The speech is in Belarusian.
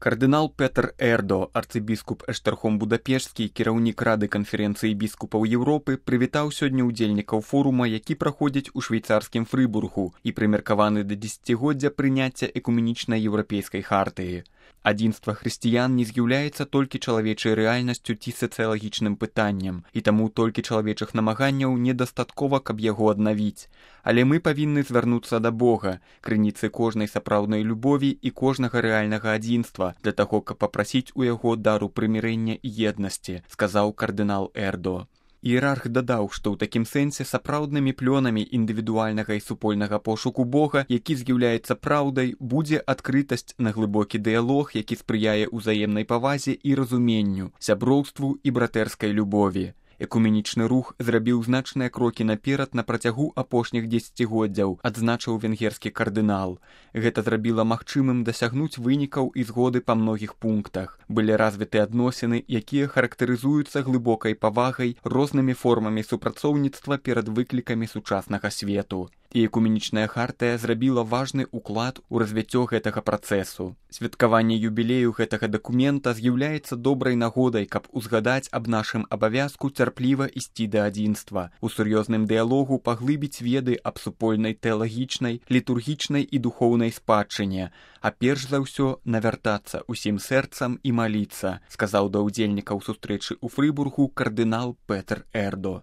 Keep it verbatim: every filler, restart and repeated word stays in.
Кардынал Петр Эрдо, арцыбіскуп Эштэрхом Будапешскі, кіраўнік Рады канферэнцыі біскупаў Еўропы, прывітаў сёння ўдзельнікаў форума, які праходзіць у швейцарскім Фрыбургу і прымеркаваны да дзесяцігоддзя прыняцця экуменічнай еўрапейскай хартыі. Адзінства хрысціян не з'яўляецца толькі чалавечай рэальнасцю ці сацыялагічным пытаннем, і таму толькі чалавечых намаганняў недастаткова, каб яго аднавіць. Але мы павінны звярнуцца да Бога, крыніцы кожнай сапраўднай любові і кожнага рэальнага адзінства, для таго, каб папрасіць у яго дару прымірэння і еднасці, сказаў кардынал Эрдо. Іерарх дадаў, што ў такім сэнсе сапраўднымі плёнамі індывідуальнага і супольнага пошуку Бога, які з'яўляецца праўдай, будзе адкрытасць на глыбокі дыялог, які спрыяе ўзаемнай павазе і разуменню, сяброўству і братэрскай любові. Экуменічны рух зрабіў значныя крокі наперад на працягу апошніх дзесяцігоддзяў, адзначыў венгерскі кардынал. Гэта зрабіла магчымым дасягнуць вынікаў і згоды па многіх пунктах. Былі развіты адносіны, якія характарызуюцца глыбокай павагай, рознымі формамі супрацоўніцтва перад выклікамі сучаснага свету. І экуменічная хартыя зрабіла важны ўклад у развіццё гэтага працэсу. Святкаванне юбілею гэтага дакумента з'яўляецца добрай нагодай, каб узгадаць аб нашым абавязку цярпліва ісці да адзінства, у сур'ёзным дыялогу паглыбіць веды аб супольнай тэалагічнай, літургічнай і духоўнай спадчыне, а перш за ўсё навяртацца усім сэрцам і маліцца, сказаў да ўдзельнікаў сустрэчы ў Фрыбургу кардынал Петр Эрдо.